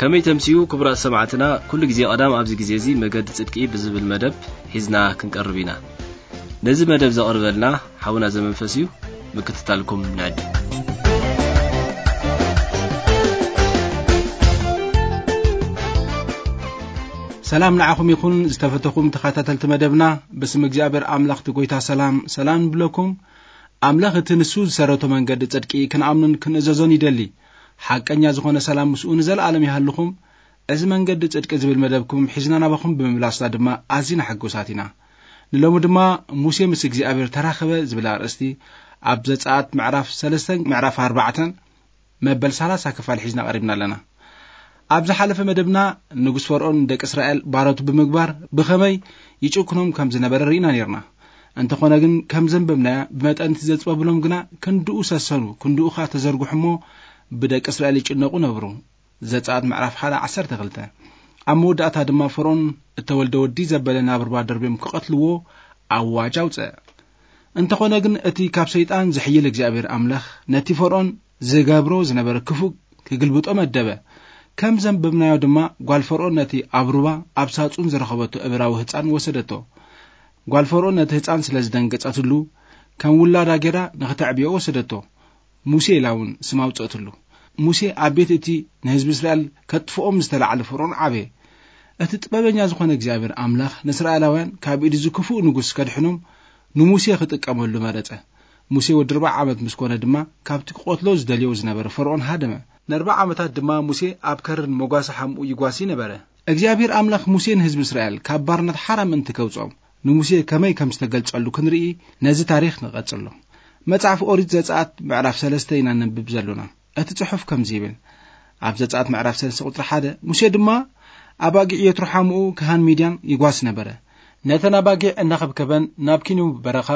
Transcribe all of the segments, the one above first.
ከመይ ተምስዩ ክቡራት ሰማዕትና፣ ኩሉ ግዜ ቀዳም ኣብዚ ግዜ እዚ መገዲ ጽድቂ ብዝብል መደብ ሒዝና ክንቀርብ ኢና። ነዚ መደብ ዘቕርበልና ሓውና ዘመንፈስ እዩ፣ ምክትታልኩም ንዕድም። ሰላም ንዓኹም ይኹን ዝተፈተኹም ተኸታተልቲ መደብና፣ ብስም እግዚኣብሔር ኣምላኽ እቲ ጎይታ ሰላም ሰላም ንብለኩም። ኣምላኽ እቲ ንሱ ዝሰረቶ መንገዲ ጽድቂ ክንኣምኑን ክንእዘዞን ይደሊ። ሓቀኛ ዝኾነ ሰላም ምስኡ ንዘለኣለም ይሃልኹም። እዚ መንገዲ ጽድቂ ዝብል መደብኩም ሒዝና ናባኹም ብምምላስና ድማ ኣዚና ሕጉሳት ኢና። ንሎሚ ድማ ሙሴ ምስ እግዚኣብሔር ተራኸበ ዝብል ኣርእስቲ ኣብ ዘጸኣት ምዕራፍ ሰለስተ ምዕራፍ ኣርባዕተ መበል ሰላሳ ክፋል ሒዝና ቀሪብና ኣለና። ኣብ ዝሓለፈ መደብና ንጉስ ፈርዖን ንደቂ እስራኤል ባሮቱ ብምግባር ብኸመይ ይጭክኖም ከም ዝነበረ ርኢና ነርና። እንተኾነ ግን ከም ዘንበብናያ ብመጠን እቲ ዘጽበብሎም ግና ክንድኡ ሰሰኑ፣ ክንድኡ ኸኣ ተዘርግሑ እሞ ብደቂ እስራኤል ይጭነቑ ነብሩ። ዘጸኣት ምዕራፍ ሓደ ዓሰርተ ክልተ። ኣብ መወዳእታ ድማ ፈርዖን እተወልደ ወዲ ዘበለ ናብ ሩባ ደርብዮም ክቐትልዎ ኣዋጅ ኣውጸ። እንተኾነ ግን እቲ ካብ ሰይጣን ዝሕይል እግዚኣብሔር ኣምላኽ ነቲ ፈርዖን ዝገብሮ ዝነበረ ክፉእ ክግልብጦ መደበ። ከም ዘንበብናዮ ድማ ጓል ፈርዖን ነቲ ኣብ ሩባ ኣብ ሳጹን ዝረኸበቶ እብራዊ ህጻን ወሰደቶ። ጓል ፈርዖን ነቲ ህጻን ስለ ዝደንገጸትሉ ከም ውላዳ ጌራ ንኽተዕብዮ ወሰደቶ። ሙሴ ኢላ እውን ስም ኣውጸእትሉ። ሙሴ ኣብ ቤት እቲ ንህዝቢ እስራኤል ከጥፍኦም ዝተላዕለ ፈርዖን ዓበየ። እቲ ጥበበኛ ዝኾነ እግዚኣብሔር ኣምላኽ ንእስራኤላውያን ካብ ኢድ እዚ ክፉእ ንጉስ ከድሕኖም ንሙሴ ክጥቀመሉ መረጸ። ሙሴ ወዲ ኣርባዓ ዓመት ምስ ኮነ ድማ ካብቲ ክቐትሎ ዝደልዮ ዝነበረ ፈርዖን ሃደመ። ንኣርባዓ ዓመታት ድማ ሙሴ ኣብ ከረን መጓሰ ሓምኡ ይጓሲ ነበረ። እግዚኣብሔር ኣምላኽ ሙሴ ንህዝቢ እስራኤል ካብ ባርነት ሓራ ምእንቲ ከውጽኦም ንሙሴ ከመይ ከም ዝተገልጸሉ ክንርኢ ነዚ ታሪኽ ንቐጽሎ። መጽሓፍ ኦሪት ዘጸኣት ምዕራፍ ሰለስተ ኢና ነንብብ ዘሎና። እቲ ጽሑፍ ከምዚ ይብል። ኣብ ዘጸኣት ምዕራፍ ሰለስተ ቁጽሪ ሓደ፣ ሙሴ ድማ ኣባጊዕ የትሮ ሓምኡ ካህን ሚድያን ይጓስ ነበረ። ነተን ኣባጊዕ እናኸብከበን ናብ ኪንው በረኻ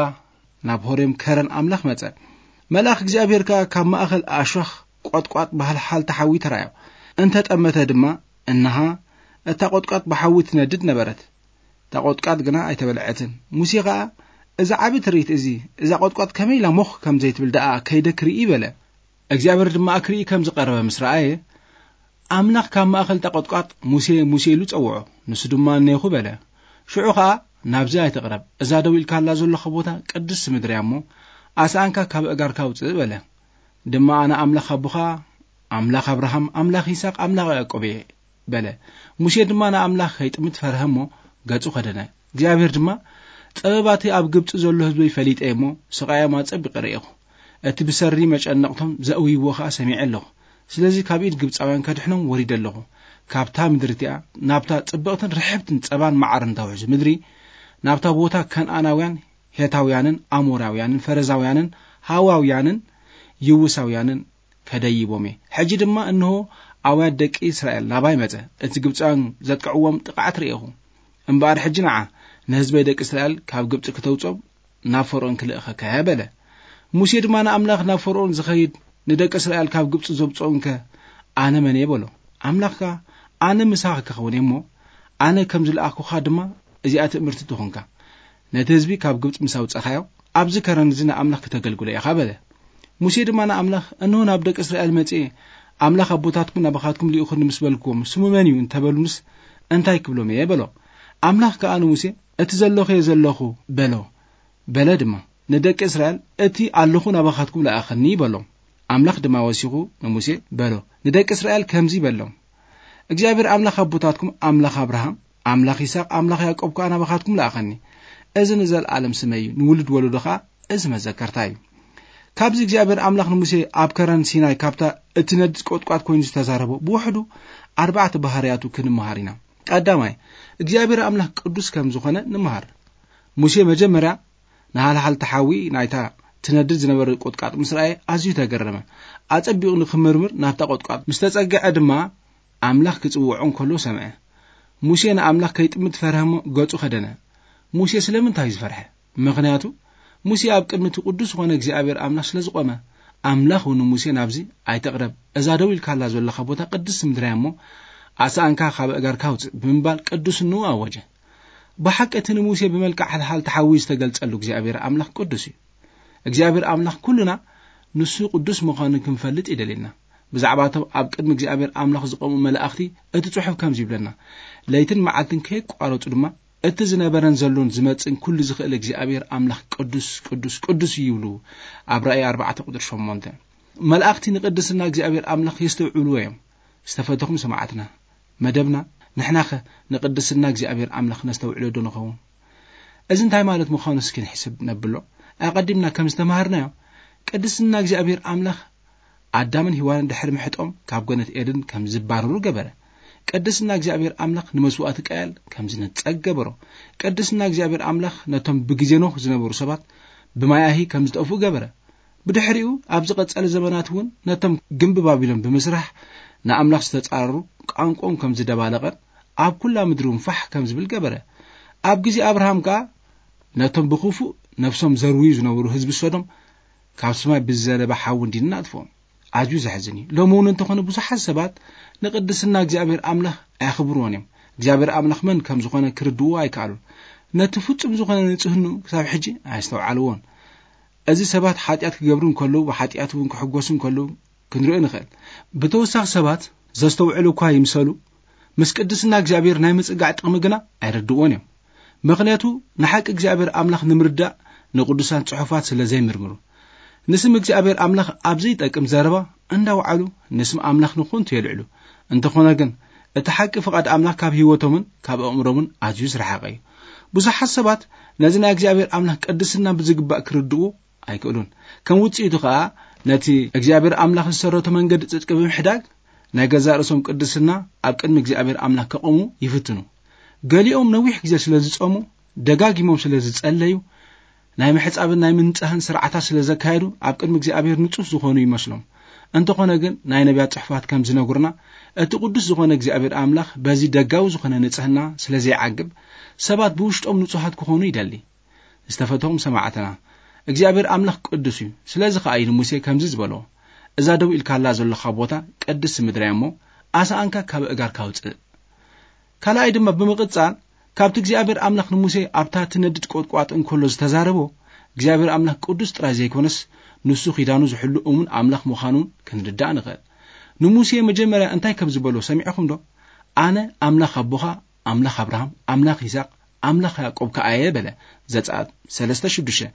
ናብ ሆሬም ከረን ኣምላኽ መጸ። መልኣኽ እግዚኣብሔር ከኣ ካብ ማእኸል ኣሾኽ ቆጥቋጥ ብሃልሓልቲ ሓዊ ተራእዮ። እንተ ጠመተ ድማ፣ እንሃ፣ እታ ቆጥቋጥ ብሓዊ ትነድድ ነበረት። እታ ቆጥቋጥ ግና ኣይተበልዐትን። ሙሴ ኸኣ፣ "እዚ ዓቢ ትርኢት እዚ፣ እዛ ቆጥቋጥ ከመይ ኢላ ሞኽ ከም ዘይትብል ደኣ ከይደ ክርኢ?" በለ። እግዚኣብሔር ድማ ክርኢ ከም ዝቐረበ ምስ ረኣየ፣ ኣምላኽ ካብ ማእከል እታ ቆጥቋጥ፣ "ሙሴ፣ ሙሴ" ኢሉ ጸውዖ። ንሱ ድማ፣ "እኔኹ" በለ። ሽዑ ኸኣ፣ "ናብዚ ኣይትቕረብ፣ እዛ ደው ኢልካላ ዘለኻ ቦታ ቅድስቲ ምድሪ እያ እሞ፣ ኣስኣንካ ካብ ኣእጋርካ ኣውጽእ" በለ። ድማ፣ "ኣነ ኣምላኽ ኣቦኻ፣ ኣምላኽ ኣብርሃም፣ ኣምላኽ ይስሐቅ፣ ኣምላኽ ያዕቆብ እየ" በለ። ሙሴ ድማ ንኣምላኽ ከይጥምት ፈርሀ እሞ፣ ገጹ ከደነ። እግዚኣብሔር ድማ፣ "ጥበባቲ ኣብ ግብጺ ዘሎ ህዝበይ ፈሊጠ እሞ፣ ስቓዮም ኣጸቢቐ ርኤኹ። እቲ ብሰሪ መጨነቕቶም ዘእውይዎ ኸኣ ሰሚዐ ኣለኹ። ስለዚ ካብ ኢድ ግብጻውያን ከድሕኖም ወሪደ ኣለኹ። ካብታ ምድሪ እቲኣ፣ ናብታ ጽብቕትን ርሕብትን ጸባን መዓርን ተውሕዝ ምድሪ፣ ናብታ ቦታ ከነኣናውያን፣ ሄታውያንን፣ ኣሞራውያንን፣ ፈረዛውያንን፣ ሃዋውያንን፣ ይውሳውያንን ከደይቦም እየ። ሕጂ ድማ እንሆ ኣውያት ደቂ እስራኤል ናባይ መጸ። እቲ ግብጻውያን ዘጥቅዕዎም ጥቕዓት ርኤኹ። እምበኣር ሕጂ ንዓ፣ ንህዝበይ ደቂ እስራኤል ካብ ግብጺ ክተውጾም ናብ ፈርኦን ክልእኸካ እየ" በለ። ሙሴ ድማ ንኣምላኽ፣ "ናብ ፈርኦን ዝኸይድ ንደቂ እስራኤል ካብ ግብጺ ዘውጽኦምከ ኣነ መን እየ?" በሎ። ኣምላኽ ከኣ፣ "ኣነ ምሳኻ ክኸውን እየ እሞ፣ ኣነ ከም ዝለኣኽኩኻ ድማ እዚኣ ትእምርቲ ትኹንካ። ነቲ ህዝቢ ካብ ግብጺ ምስ ኣውጻኻዮ፣ ኣብዚ ከረን እዚ ንኣምላኽ ክተገልግሎ ኢኻ" በለ። ሙሴ ድማ ንኣምላኽ፣ "እንሆ ናብ ደቂ እስራኤል መጺኤ፣ ኣምላኽ ኣቦታትኩም ናባኻትኩም ልኢኹኒ ምስ በልክዎም፣ ስሙ መን እዩ እንተበሉንስ፣ እንታይ ክብሎም እየ?" በሎ። ኣምላኽ ከኣ ንሙሴ፣ "እቲ ዘለኹ እየ ዘለኹ" በሎ። በለ ድማ፣ ንደቂ እስራኤል፣ "እቲ ኣለኹ ናባኻትኩም ለኣኸኒ" በሎም። ኣምላኽ ድማ ወሲኹ ንሙሴ በሎ፣ "ንደቂ እስራኤል ከምዚ በሎም፣ እግዚኣብሔር ኣምላኽ ኣቦታትኩም፣ ኣምላኽ ኣብርሃም፣ ኣምላኽ ይስሐቅ፣ ኣምላኽ ያዕቆብ ከኣ ናባኻትኩም ለኣኸኒ። እዚ ንዘለኣለም ስመይ እዩ፣ ንውሉድ ወለዶ ከኣ እዚ መዘከርታ እዩ።" ካብዚ እግዚኣብሔር ኣምላኽ ንሙሴ ኣብ ከረን ሲናይ ካብታ እትነድድ ቆጥቋጥ ኮይኑ ዝተዛረቦ ብውሕዱ ኣርባዕተ ባህርያቱ ክንመሃር ኢና። ቀዳማይ፣ እግዚኣብሔር ኣምላኽ ቅዱስ ከም ዝኾነ ንምሃር። ሙሴ መጀመርያ ንሃልሃልቲ ሓዊ ናይታ ትነድድ ዝነበረ ቆጥቋጥ ምስ ረኣየ ኣዝዩ ተገረመ። ኣጸቢቑ ንክምርምር ናብታ ቆጥቋጥ ምስ ተጸግዐ ድማ ኣምላኽ ክጽውዖ እንከሎ ሰምዐ። ሙሴ ንኣምላኽ ከይጥምት ፈርሀ እሞ ገጹ ከደነ። ሙሴ ስለምንታይ እዩ ዝፈርሐ? ምኽንያቱ ሙሴ ኣብ ቅድሚ እቲ ቅዱስ ዝኾነ እግዚኣብሔር ኣምላኽ ስለ ዝቖመ። ኣምላኽ እውን ንሙሴ ናብዚ ኣይትቕረብ፣ እዛ ደው ኢልካላ ዘለኻ ቦታ ቅድስቲ ምድሪ እያ እሞ ኣስኣንካ ካብ ኣእጋርካ ኣውጽእ ብምባል ቅዱስንኡ ኣወጀ። ብሓቂ እቲ ንሙሴ ብመልክዕ ሓልሓልቲ ሓዊ ዝተገልጸሉ እግዚኣብሔር ኣምላኽ ቅዱስ እዩ። እግዚኣብሔር ኣምላኽ ኩልና ንሱ ቅዱስ ምዃኑ ክንፈልጥ ይደልየና። ብዛዕባቶም ኣብ ቅድሚ እግዚኣብሔር ኣምላኽ ዝቐሙ መላእኽቲ እቲ ጽሑፍ ከምዚ ይብለና። ለይትን መዓልትን ከየቋረጹ ድማ እቲ ዝነበረን ዘሎን ዝመጽእን ኩሉ ዝኽእል እግዚኣብሔር ኣምላኽ ቅዱስ ቅዱስ ቅዱስ እዩ ይብሉ። ኣብ ራእይ ኣርባዕተ ቁጥሪ ሸሞንተ። መላእኽቲ ንቅድስና እግዚኣብሔር ኣምላኽ የስተውዕልዎ እዮም። ዝተፈተኹም ሰማዕትና፣ መደብና ንሕናኸ ንቅድስና እግዚኣብሔር ኣምላኽ ነስተውዕሎ ዶ ንኸውን? እዚ እንታይ ማለት ምዃኑ እስኪ ንሕስብ ነብሎ። ኣቐዲምና ከም ዝተማሃርናዮ ቅድስና እግዚኣብሔር ኣምላኽ ኣዳምን ሂዋንን ድሕሪ ምሕጦም ካብ ገነት ኤድን ከም ዝባረሩ ገበረ። ቅድስና እግዚኣብሔር ኣምላኽ ንመስዋእቲ ቃየል ከም ዝነጸግ ገበሮ። ቅድስና እግዚኣብሔር ኣምላኽ ነቶም ብግዜ ኖህ ዝነበሩ ሰባት ብማያሂ ከም ዝጠፍኡ ገበረ። ብድሕሪኡ ኣብ ዝቐጸለ ዘመናት እውን ነቶም ግምቢ ባቢሎን ብምስራሕ ንኣምላኽ ዝተጻረሩ ቋንቋኦም ከም ዝደባለቐ ኣብ ኩላ ምድሪ እውን ፋሕ ከም ዝብል ገበረ። ኣብ ግዜ ኣብርሃም ከኣ ነቶም ብኽፉእ ነፍሶም ዘርውዩ ዝነበሩ ህዝቢ ሶዶም ካብ ሰማይ ብዝዘነበ ሓዊ እንዲና ኣጥፍኦም። ኣዝዩ ዘሕዝን እዩ። ሎሚ እውን እንተኾነ ብዙሓት ሰባት ንቅድስና እግዚኣብሔር ኣምላኽ ኣየኽብርዎን እዮም። እግዚኣብሔር ኣምላኽ መን ከም ዝኾነ ክርድዎ ኣይከኣሉን። ነቲ ፍጹም ዝኾነ ንጽህኑ ክሳብ ሕጂ ኣየስተውዓልዎን። እዚ ሰባት ሓጢኣት ክገብሩ እንከለዉ ብሓጢኣት እውን ክሕጎሱ እንከለዉ ክንርኢ ንኽእል። ብተወሳኺ ሰባት ዘስተውዕሉ እኳ ይምሰሉ፣ ምስ ቅድስና እግዚኣብሔር ናይ ምጽጋዕ ጥቕሚ ግና ኣይረድእዎን እዮም። ምኽንያቱ ንሓቂ እግዚኣብሔር ኣምላኽ ንምርዳእ ንቅዱሳት ጽሑፋት ስለ ዘይምርምሩ። ንስም እግዚኣብሔር ኣምላኽ ኣብ ዘይጠቅም ዘረባ እንዳወዓሉ ንስም ኣምላኽ ንኾንቱ የልዕሉ። እንተኾነ ግን እቲ ሓቂ ፍቓድ ኣምላኽ ካብ ህይወቶምን ካብ ኣእምሮምን ኣዝዩ ዝረሓቐ እዩ። ብዙሓት ሰባት ነዚ ናይ እግዚኣብሔር ኣምላኽ ቅድስና ብዝግባእ ክርድኡ ኣይክእሉን። ከም ውጽኢቱ ኸኣ ነቲ እግዚኣብሔር ኣምላኽ ዝሰረቶ መንገዲ ጽድቂ ብምሕዳግ ናይ ገዛእ ርእሶም ቅድስና ኣብ ቅድሚ እግዚኣብሔር ኣምላኽ ከቐሙ ይፍትኑ። ገሊኦም ነዊሕ ግዜ ስለ ዝጸሙ፣ ደጋጊሞም ስለ ዝጸለዩ፣ ናይ ምሕጻብን ናይ ምንጻህን ስርዓታት ስለ ዘካየዱ ኣብ ቅድሚ እግዚኣብሔር ንጹህ ዝኾኑ ይመስሎም። እንተኾነ ግን ናይ ነቢያት ጽሑፋት ከም ዝነግሩና እቲ ቅዱስ ዝኾነ እግዚኣብሔር ኣምላኽ በዚ ደጋዊ ዝኾነ ንጽህና ስለ ዘይዓግብ ሰባት ብውሽጦም ንጹሃት ክኾኑ ይደሊ። ዝተፈተኹም ሰማዕትና እግዚኣብሔር ኣምላኽ ቅዱስ እዩ። ስለዚ ኸኣ እዩ ንሙሴ ከምዚ ዝበሎ፣ እዛ ደው ኢልካላ ዘለኻ ቦታ ቅድስቲ ምድሪ እያ እሞ ኣስኣንካ ካብ እጋርካ ኣውፅእ። ካልኣይ ድማ ብምቕጻል ካብቲ እግዚኣብሔር ኣምላኽ ንሙሴ ኣብታ ትነድድ ቆጥቋጥ እንከሎ ዝተዛረቦ እግዚኣብሔር ኣምላኽ ቅዱስ ጥራይ ዘይኮነስ ንሱ ኪዳኑ ዝሕሉ እሙን ኣምላኽ ምዃኑ ክንርዳእ ንኽእል። ንሙሴ መጀመርያ እንታይ ከም ዝበሎ ሰሚዕኹም ዶ? ኣነ ኣምላኽ ኣቦኻ፣ ኣምላኽ ኣብርሃም፣ ኣምላኽ ይስሐቅ፣ ኣምላኽ ያዕቆብ ከኣ እየ በለ። ዘጸኣት ሰለስተ ሽዱሽተ።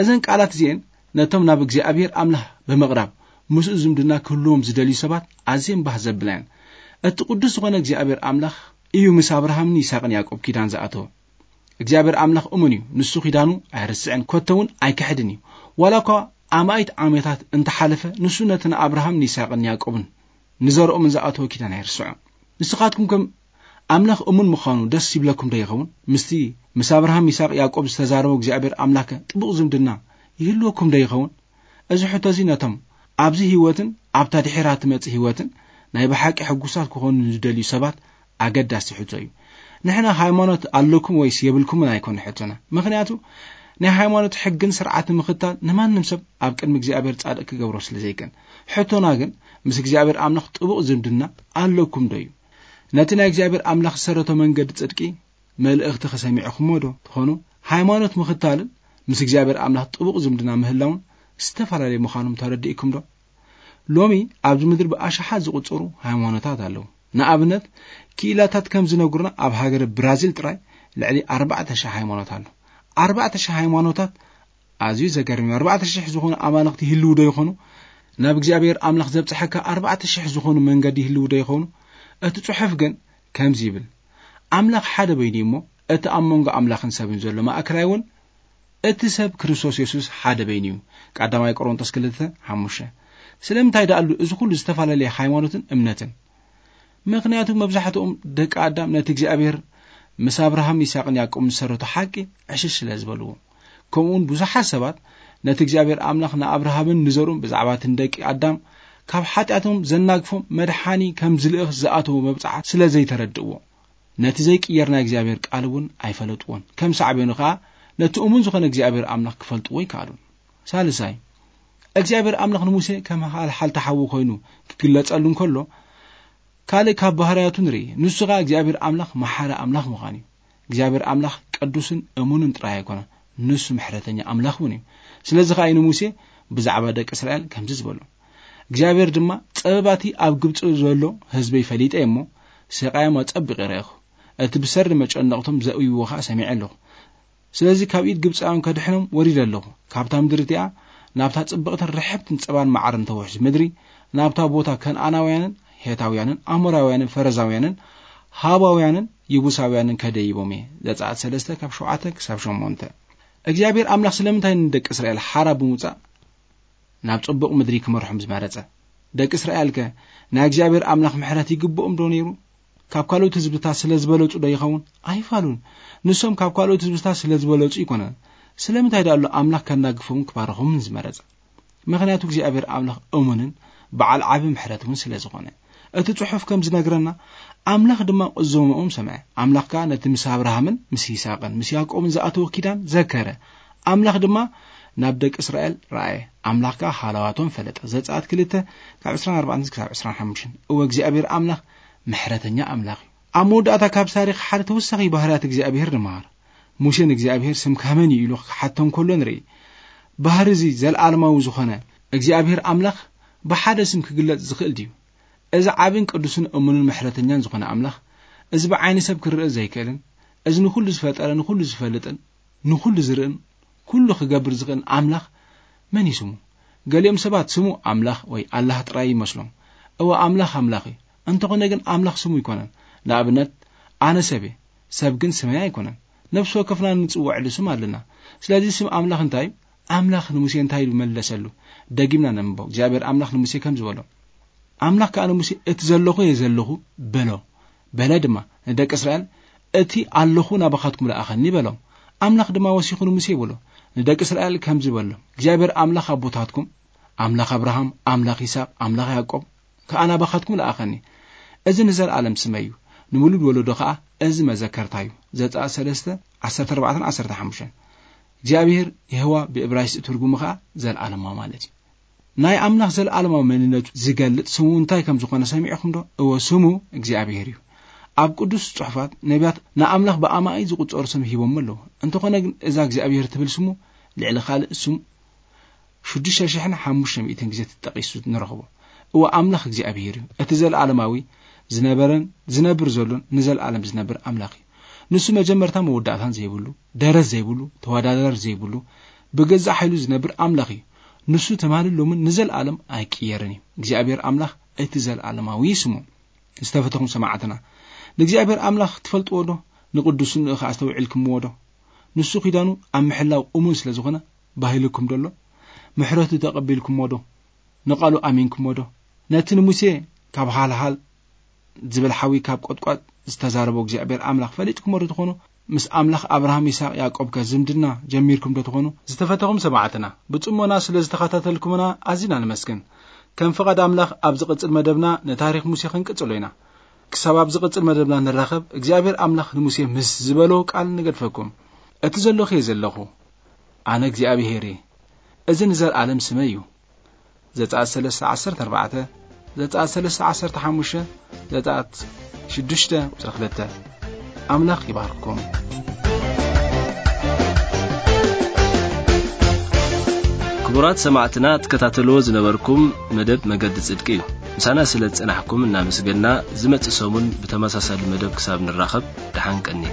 እዘን ቃላት እዚኤን ነቶም ናብ እግዚኣብሔር ኣምላኽ ብምቕራብ ምስኡ ዝምድና ክህልዎም ዝደልዩ ሰባት ኣዝየን ባህ ዘብላ እየን። እቲ ቅዱስ ዝኾነ እግዚኣብሔር ኣምላኽ እዩ ምስ ኣብርሃምን ይስሐቅን ያዕቆብ ኪዳን ዝኣተወ። እግዚኣብሔር ኣምላኽ እሙን እዩ። ንሱ ኪዳኑ ኣይርስዕን፣ ኮተ እውን ኣይክሕድን እዩ። ዋላ እኳ ኣማኢት ዓመታት እንተሓለፈ፣ ንሱ ነቲ ንኣብርሃም ንይስሐቅን ያዕቆብን ንዘርኦምን ዝኣተወ ኪዳን ኣይርስዖን። ንስኻትኩም ከም ኣምላኽ እሙን ምዃኑ ደስ ይብለኩም ዶ ይኸውን? ምስቲ ምስ ኣብርሃም፣ ይስሐቅ፣ ያዕቆብ ዝተዛረቦ እግዚኣብሔር ኣምላኽ ጥቡቕ ዝምድና ይህልወኩም ዶ ይኸውን? እዚ ሕቶ እዚ ነቶም ኣብዚ ህይወትን ኣብታ ድሒራ ትመጽእ ህይወትን ናይ ብሓቂ ሕጉሳት ክኾኑ ንዝደልዩ ሰባት ኣገዳሲ ሕቶ እዩ። ንሕና ሃይማኖት ኣለኩም ወይስ የብልኩምን ኣይኮነ ሕቶና። ምኽንያቱ ናይ ሃይማኖት ሕግን ስርዓትን ምኽታል ንማንም ሰብ ኣብ ቅድሚ እግዚኣብሔር ጻድቕ ክገብሮ ስለ ዘይክእል። ሕቶና ግን ምስ እግዚኣብሔር ኣምላኽ ጥቡቕ ዝምድና ኣለኩም ዶ እዩ? ነቲ ናይ እግዚኣብሔር ኣምላኽ ዝሰረቶ መንገዲ ጽድቂ መልእኽቲ ከሰሚዕኹሞ ዶ ትኾኑ? ሃይማኖት ምኽታልን ምስ እግዚኣብሔር ኣምላኽ ጥቡቕ ዝምድና ምህላውን ዝተፈላለዩ ምዃኖም ተረዲእኩም ዶ? ሎሚ ኣብዚ ምድሪ ብኣሽሓት ዝቑጸሩ ሃይማኖታት ኣለዉ። ንኣብነት ክኢላታት ከም ዝነግሩና ኣብ ሃገረ ብራዚል ጥራይ ልዕሊ ኣርባዕተ ሽሕ ሃይማኖት ኣሎ። ኣርባዕተ ሽሕ ሃይማኖታት ኣዝዩ ዘገርም እዩ። ኣርባዕተ ሽሕ ዝኾኑ ኣማልኽቲ ይህልዉ ዶ ይኾኑ? ናብ እግዚኣብሔር ኣምላኽ ዘብጽሐካ ኣርባዕተ ሽሕ ዝኾኑ መንገዲ ይህልዉ ዶ ይኾኑ? እቲ ጽሑፍ ግን ከምዚ ይብል፣ ኣምላኽ ሓደ በይኑ እዩ እሞ እቲ ኣብ መንጎ ኣምላኽን ሰብን ዘሎ ማእከላይ እውን እቲ ሰብ ክርስቶስ የሱስ ሓደ በይኑ እዩ። ቀዳማይ ቆሮንቶስ ክልተ ሓሙሽተ። ስለምንታይ ደኣሉ እዚ ኩሉ ዝተፈላለየ ሃይማኖትን እምነትን? ምኽንያቱ መብዛሕትኦም ደቂ ኣዳም ነቲ እግዚኣብሔር ምስ ኣብርሃም፣ ይስሐቅን ያዕቆብን ዝሰረቶ ሓቂ ዕሽሽ ስለ ዝበልዎ። ከምኡውን ብዙሓት ሰባት ነቲ እግዚኣብሔር ኣምላኽ ንኣብርሃምን ንዘርኡን ብዛዕባ እቲ ንደቂ ኣዳም ካብ ሓጢኣቶም ዘናግፎም መድሓኒ ከም ዝልእኽ ዝኣተዎ መብጽዓ ስለ ዘይተረድእዎ፣ ነቲ ዘይቅየር ናይ እግዚኣብሔር ቃል እውን ኣይፈለጥዎን። ከም ሳዕቤኑ ኸኣ ነቲ እሙን ዝኾነ እግዚኣብሔር ኣምላኽ ክፈልጥዎ ኣይከኣሉን። ሳልሳይ፣ እግዚኣብሔር ኣምላኽ ንሙሴ ከም ሃልሓልቲ ሓዊ ኮይኑ ክግለጸሉ እንከሎ፣ ካልእ ካብ ባህርያቱ ንርኢ። ንሱ ኸኣ እግዚኣብሔር ኣምላኽ መሓሪ ኣምላኽ ምዃኑ እዩ። እግዚኣብሔር ኣምላኽ ቅዱስን እሙንን ጥራይ ኣይኮነን፣ ንሱ ምሕረተኛ ኣምላኽ እውን እዩ። ስለዚ ኸኣ እዩ ንሙሴ ብዛዕባ ደቂ እስራኤል ከምዚ ዝበሎ፣ እግዚኣብሔር ድማ፣ "ጸበባቲ ኣብ ግብጺ ዘሎ ህዝበይ ፈሊጠ እሞ፣ ስቓዮም ኣጸቢቐ ረኣኹ፣ እቲ ብሰሪ መጨነቕቶም ዘእብይዎ ኸኣ ሰሚዐ ኣለኹ። ስለዚ ካብ ኢድ ግብጻውያን ከድሕኖም ወሪደ ኣለኹ። ካብታ ምድሪ እቲኣ፣ ናብታ ጽብቕትን ርሕብትን ጸባን መዓርን ተውሕዝ ምድሪ፣ ናብታ ቦታ ከነኣናውያንን ሄታውያንን ኣሞራውያንን ፈረዛውያንን ሃባውያንን ይቡሳውያንን ከደይቦም እየ።" ዘጸኣት ሰለስተ ካብ ሸውዓተ ክሳብ ሸሞንተ። እግዚኣብሔር ኣምላኽ ስለምንታይ ንደቂ እስራኤል ሓራ ብምውጻእ ናብ ጽቡቕ ምድሪ ክመርሖም ዝመረጸ? ደቂ እስራኤልከ ናይ እግዚኣብሔር ኣምላኽ ምሕረት ይግብኦም ዶ ነይሩ? ካብ ካልኦት ህዝብታት ስለ ዝበለጹ ዶ ይኸውን? ኣይፋሉን። ንሶም ካብ ካልኦት ህዝብታት ስለ ዝበለጹ ይኮነን። ስለምንታይ ደኣ ኣሎ ኣምላኽ ከናግፎምን ክባርኾምን ዝመረጸ? ምኽንያቱ እግዚኣብሔር ኣምላኽ እሙንን በዓል ዓቢ ምሕረት እውን ስለ ዝኾነ። እቲ ጽሑፍ ከም ዝነግረና፣ ኣምላኽ ድማ ቁዘማኦም ሰምዐ። ኣምላኽ ከኣ ነቲ ምስ ኣብርሃምን ምስ ይስሐቅን ምስ ያዕቆብን ዝኣተዎ ኪዳን ዘከረ። ኣምላኽ ድማ ናብ ደቂ እስራኤል ረኣየ። ኣምላኽ ከኣ ሃለዋቶም ፈለጠ። ዘጸኣት ክልተ ካብ ዕስራን ኣርባዕተን ክሳብ ዕስራን ሓሙሽተን። እወ፣ እግዚኣብሔር ኣምላኽ ምሕረተኛ ኣምላኽ እዩ። ኣብ መወዳእታ ካብ ታሪኽ ሓደ ተወሳኺ ባህርያት እግዚኣብሔር ንመሃር። ሙሴ ንእግዚኣብሔር፣ "ስምካ መን እዩ?" ኢሉ ክሓቶ እንከሎ ንርኢ። ባህሪ እዚ ዘለኣለማዊ ዝኾነ እግዚኣብሔር ኣምላኽ ብሓደ ስም ክግለጽ ዝኽእል ድዩ? እዚ ዓብን ቅዱስን እሙንን ምሕረተኛን ዝኾነ ኣምላኽ፣ እዚ ብዓይኒ ሰብ ክርእ ዘይክእልን፣ እዚ ንኹሉ ዝፈጠረ፣ ንኹሉ ዝፈልጥን ንኹሉ ዝርእን ኩሉ ክገብር ዝኽእል ኣምላኽ መን እዩ ስሙ? ገሊኦም ሰባት ስሙ ኣምላኽ ወይ ኣላህ ጥራይ ይመስሎም። እወ፣ ኣምላኽ ኣምላኽ እዩ። እንተኾነ ግን ኣምላኽ ስሙ ኣይኮነን። ንኣብነት፣ ኣነ ሰብ እየ፣ ሰብ ግን ስመይ ኣይኮነን። ነፍሲ ወከፍና እንጽውዐሉ ስም ኣለና። ስለዚ ስም ኣምላኽ እንታይ እዩ? ኣምላኽ ንሙሴ እንታይ ኢሉ መለሰሉ? ደጊምና ነንብቦ። እግዚኣብሔር ኣምላኽ ንሙሴ ከም ዝበሎ፣ ኣምላኽ ከኣ ንሙሴ፣ "እቲ ዘለኹ እየ ዘለኹ" በሎ። በለ ድማ ንደቂ እስራኤል፣ "እቲ ኣለኹ ናባኻትኩም ለኣኸኒ" በሎም። ኣምላኽ ድማ ወሲኹ ንሙሴ ይብሎ፣ ንደቂ እስራኤል ከምዚ በሎ፣ "እግዚኣብሔር ኣምላኽ ኣቦታትኩም፣ ኣምላኽ ኣብርሃም፣ ኣምላኽ ይስሐቅ፣ ኣምላኽ ያዕቆብ ከኣ ናባኻትኩም ለኣኸኒ። እዚ ንዘለኣለም ስመይ እዩ፣ ንምሉድ ወለዶ ከኣ እዚ መዘከርታ እዩ።" ዘጸኣት ሰለስተ፣ ዓሰርተ ኣርባዕተን ዓሰርተ ሓሙሽተን። እግዚኣብሔር፣ የሆዋ ብእብራይስጢ ትርጉሙ ከኣ ዘለኣለማዊ ማለት እዩ። ናይ ኣምላኽ ዘለኣለማዊ መንነቱ ዝገልጽ ስሙ እንታይ ከም ዝኾነ ሰሚዕኹም ዶ? እወ፣ ስሙ እግዚኣብሔር እዩ። ኣብ ቅዱስ ጽሑፋት ነቢያት ንኣምላኽ ብኣማኢ ዝቑጸሩ ስም ሂቦሞ ኣለዉ። እንተኾነ ግን እዛ እግዚኣብሔር ትብል ስሙ ልዕሊ ካልእ ስሙ ሽዱሽተ ሽሕን ሓሙሽተ ሚእትን ግዜ ተጠቒሱ ንረኽቦ። እወ፣ ኣምላኽ እግዚኣብሔር እዩ። እቲ ዘለኣለማዊ ዝነበረን ዝነብር ዘሎን ንዘለኣለም ዝነብር ኣምላኽ እዩ። ንሱ መጀመርታ መወዳእታን ዘይብሉ፣ ደረት ዘይብሉ፣ ተወዳዳሪ ዘይብሉ፣ ብገዛእ ሓይሉ ዝነብር ኣምላኽ እዩ። ንሱ ትማልን ሎምን ንዘለኣለም ኣይቅየርን እዩ። እግዚኣብሔር ኣምላኽ እቲ ዘለኣለማዊ ስሙ። ዝተፈተኹም ሰማዕትና፣ ንእግዚኣብሔር ኣምላኽ ትፈልጥዎ ዶ? ንቅዱስንኡ ኸኣ ኣስተውዒልኩምዎ ዶ? ንሱ ኪዳኑ ኣብ ምሕላው እሙን ስለ ዝኾነ፣ ባሂልኩም ዶ ኣሎ? ምሕረቱ ተቐቢልኩምዎ ዶ? ንቓሉ ኣሚንኩምዎ ዶ? ነቲ ንሙሴ ካብ ሃልሃል ዝብል ሓዊ ካብ ቆጥቋጥ ዝተዛረቦ እግዚኣብሔር ኣምላኽ ፈሊጥኩምዎ ዶ ትኾኑ? ምስ ኣምላኽ ኣብርሃም፣ ይስሐቅ፣ ያዕቆብ ከ ዝምድና ጀሚርኩም ዶ ትኾኑ? ዝተፈተኹም ሰማዕትና፣ ብጽሞና ስለ ዝተኸታተልኩምና ኣዚና ንመስግን። ከም ፍቓድ ኣምላኽ ኣብ ዝቕጽል መደብና ንታሪኽ ሙሴ ክንቅጽሎ ኢና። ክሳብ ኣብ ዝቕጽል መደብና ንራኸብ፣ እግዚኣብሔር ኣምላኽ ንሙሴ ምስ ዝበሎ ቃል ንገድፈኩም። እቲ ዘለኹ እየ ዘለኹ፣ ኣነ እግዚኣብሔር እየ። እዚ ንዘለኣለም ስመይ እዩ። ዘጸኣት ሰለስተ ዓሰርተ ኣርባዕተ፣ ዘጸኣት ሰለስተ ዓሰርተ ሓሙሽተ፣ ዘጸኣት ሽዱሽተ ቁጽሪ ክልተ። ኣምላኽ ይባርኩም። ክቡራት ሰማዕትና፣ ትከታተልዎ ዝነበርኩም መደብ መገዲ ጽድቂ እዩ። ምሳና ስለ ዝጸናሕኩም እናመስገንና፣ ዝመጽእ ሰሙን ብተመሳሳሊ መደብ ክሳብ ንራኸብ፣ ደሓን ቀኒ።